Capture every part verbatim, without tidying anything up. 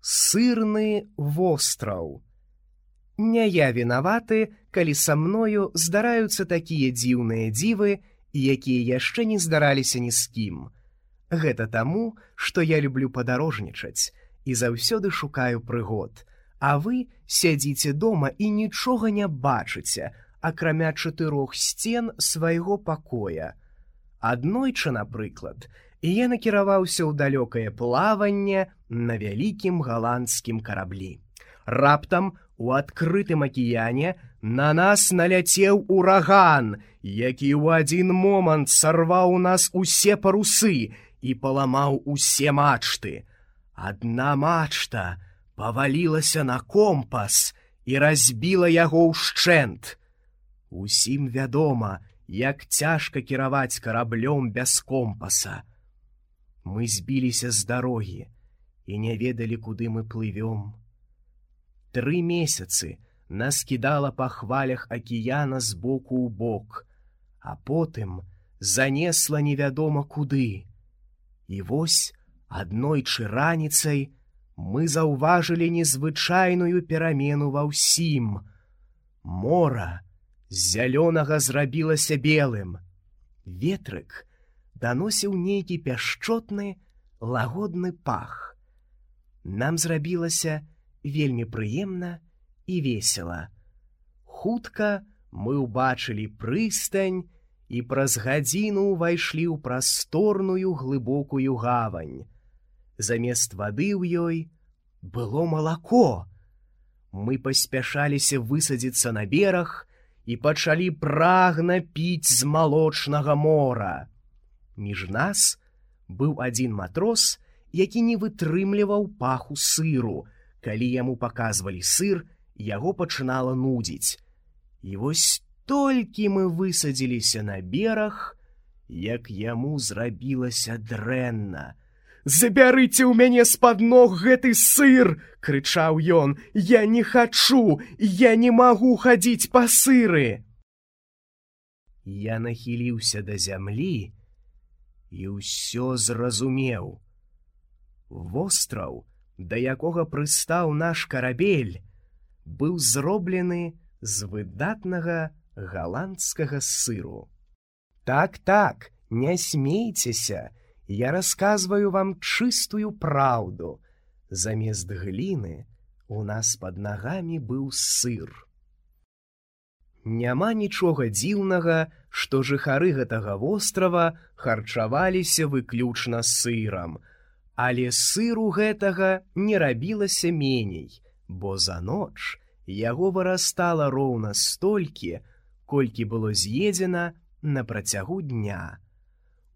Сырны востраў. Не я вінаваты, калі са мною здараюцца такія дзіўныя дзівы, якія яшчэ не здараліся ні з кім. Гэта таму, што я люблю падарожнічаць і заўсёды шукаю прыгод, а вы сядзіце дома і нічога не бачыце, акрамя чатырох сцен свайго пакоя. Аднойчы, напрыклад, я накіраваўся ў далёкае плаванне на вялікім галандскім караблі. Раптам у адкрытым акіяне на нас наляцеў ураган, які ў адзін момант сарваў у нас усе парусы і паламаў усе мачты. Адна мачта павалілася на компас і разбіла яго ўшчэнт. Усім вядома, як цяжка кіраваць караблём без компаса. Мы збіліся з дарогі і не ведалі, куды мы плывём. Тры месяцы нас кідала па хвалях акіяна з боку ў бок, а потым занесла невядома куды. І вось аднойчы раніцай мы заўважылі незвычайную перамену ва ўсім. Мора з зялёнага зрабілася белым. Ветрык даносіў нейкі пяшчотны, лагодны пах. Нам зрабілася вельмі прыемна і весела. Хутка мы ўбачылі прыстань і праз гадзіну ўвайшлі ў прасторную глыбокую гавань. Замест вады ў ёй было малако. Мы паспяшаліся высадзіцца на бераг і пачалі прагна піць з малочнага мора. Між нас быў адзін матрос, які не вытрымліваў паху сыру. Калі яму паказвалі сыр, яго пачынала нудзіць. І вось толькі мы высадзіліся на бераг, як яму зрабілася дрэнна. «Забярыце ў мяне з-пад ног гэты сыр!» — крычаў ён. «Я не хачу! Я не магу хадзіць па сыры!» Я нахіліўся да зямлі і ўсё зразумеў. Востраў, да якога прыстаў наш карабель, быў зроблены з выдатнага галандскага сыру. Так-так, не смейцеся, я расказваю вам чыстую праўду. Замест гліны у нас пад нагамі быў сыр. Няма нічога дзіўнага, што жыхары гэтага вострава харчаваліся выключна сырам, але сыру гэтага не рабілася меней, бо за ноч яго вырастала роўна столькі, колькі было з'едзена на працягу дня.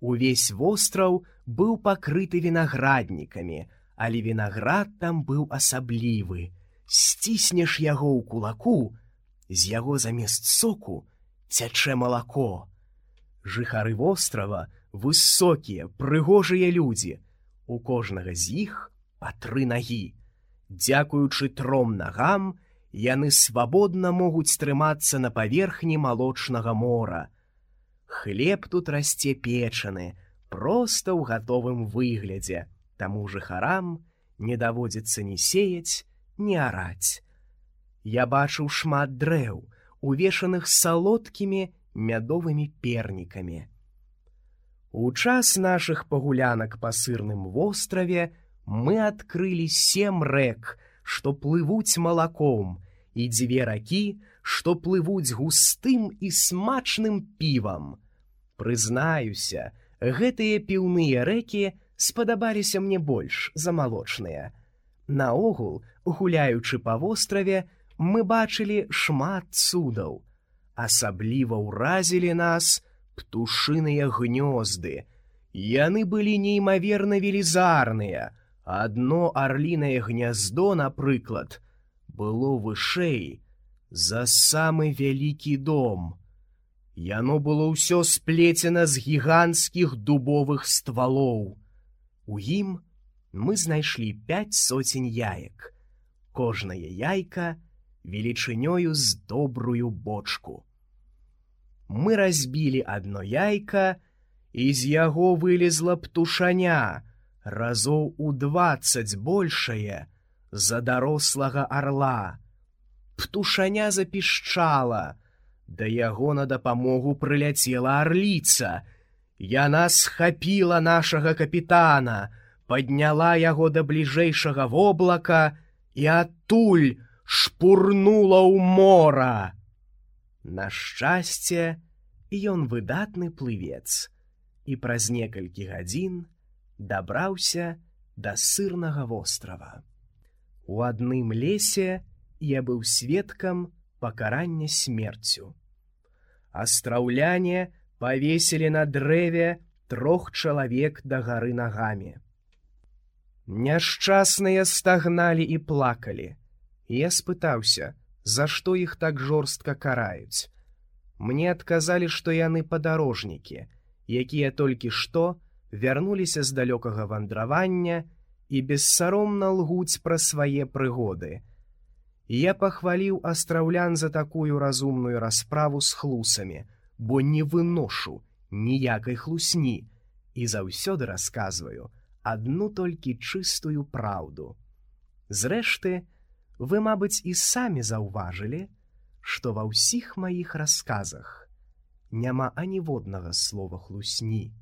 Увесь востраў быў пакрыты вінаграднікамі, але вінаград там быў асаблівы. Сціснеш яго ў кулаку, з яго замест соку цячэ малако. Жыхары вострава высокія, прыгожыя людзі. У кожнага з іх па тры нагі. Дзякуючы тром нагам, яны свабодна могуць трымацца на паверхні малочнага мора. Хлеб тут расце печаны, проста ў гатовым выглядзе, таму жыхарам не даводзіцца ні сеяць, ні араць. Я бачыў шмат дрэў, увешаных салодкімі мядовымі пернікамі. У час нашых пагулянак па сырным востраве мы адкрылі сем рэк, што плывуць малаком, і дзве ракі, што плывуць густым і смачным півам. Прызнаюся, гэтыя піўныя рэкі спадабаліся мне больш за малочныя. Наогул, гуляючы па востраве, мы бачылі шмат цудаў. Асабліва ўразілі нас птушыныя гнёзды. Яны былі неймаверна велізарныя. Адно арлінае гняздо, напрыклад, было вышэй за самы вялікі дом. Яно было ўсё сплецена з гіганцкіх дубовых ствалоў. У ім мы знайшлі пяць соцень яек. Кожнае яйка велічынёю з добрую бочку. Мы разбілі адно яйка, і з яго вылезла птушаня, разоў у дваццаць большае за дарослага арла. Птушаня запішчала, да яго на дапамогу прыляцела арліца. Яна схапіла нашага капітана, падняла яго да бліжэйшага воблака і адтуль шпурнула ў мора. На шчасце, ён выдатны плывец і праз некалькі гадзін дабраўся да сырнага вострава. У адным лесе я быў сведкам пакарання смерцю. Астраўляне павесілі на дрэве трох чалавек дагары нагамі. Няшчасныя стагналі і плакалі. Я спытаўся, за што іх так жорстка караюць. Мне адказалі, што яны падарожнікі, якія толькі што вярнуліся з далёкага вандравання і бессаромна лгуць пра свае прыгоды. Я пахваліў астраўлян за такую разумную расправу з хлусамі, бо не выношу ніякай хлусні і заўсёды расказваю адну толькі чыстую праўду. Зрэшты, вы, мабыць, і самі заўважылі, што ва ўсіх маіх расказах няма аніводнага слова хлусні.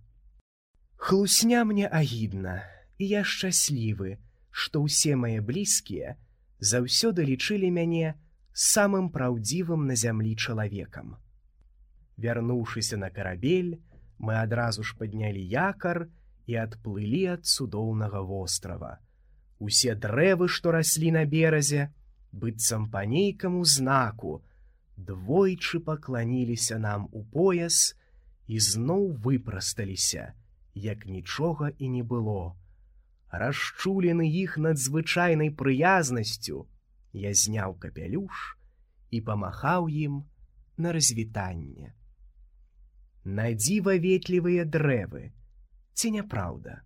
Хлусня мне агідна, і я шчаслівы, што ўсе мае блізкія заўсёды лічылі мяне самым праўдзівым на зямлі чалавекам. Вярнуўшыся на карабель, мы адразу ж паднялі якар і адплылі ад цудоўнага вострава. Усе дрэвы, што раслі на беразе, быццам па нейкаму знаку, двойчы пакланіліся нам у пояс і зноў выпрасталіся, як нічога і не было. Расчулены іх надзвычайнай прыязнасцю, я зняў капялюш і памахаў ім на развітанне. На дзіва ветлівыя дрэвы, ці няпраўда?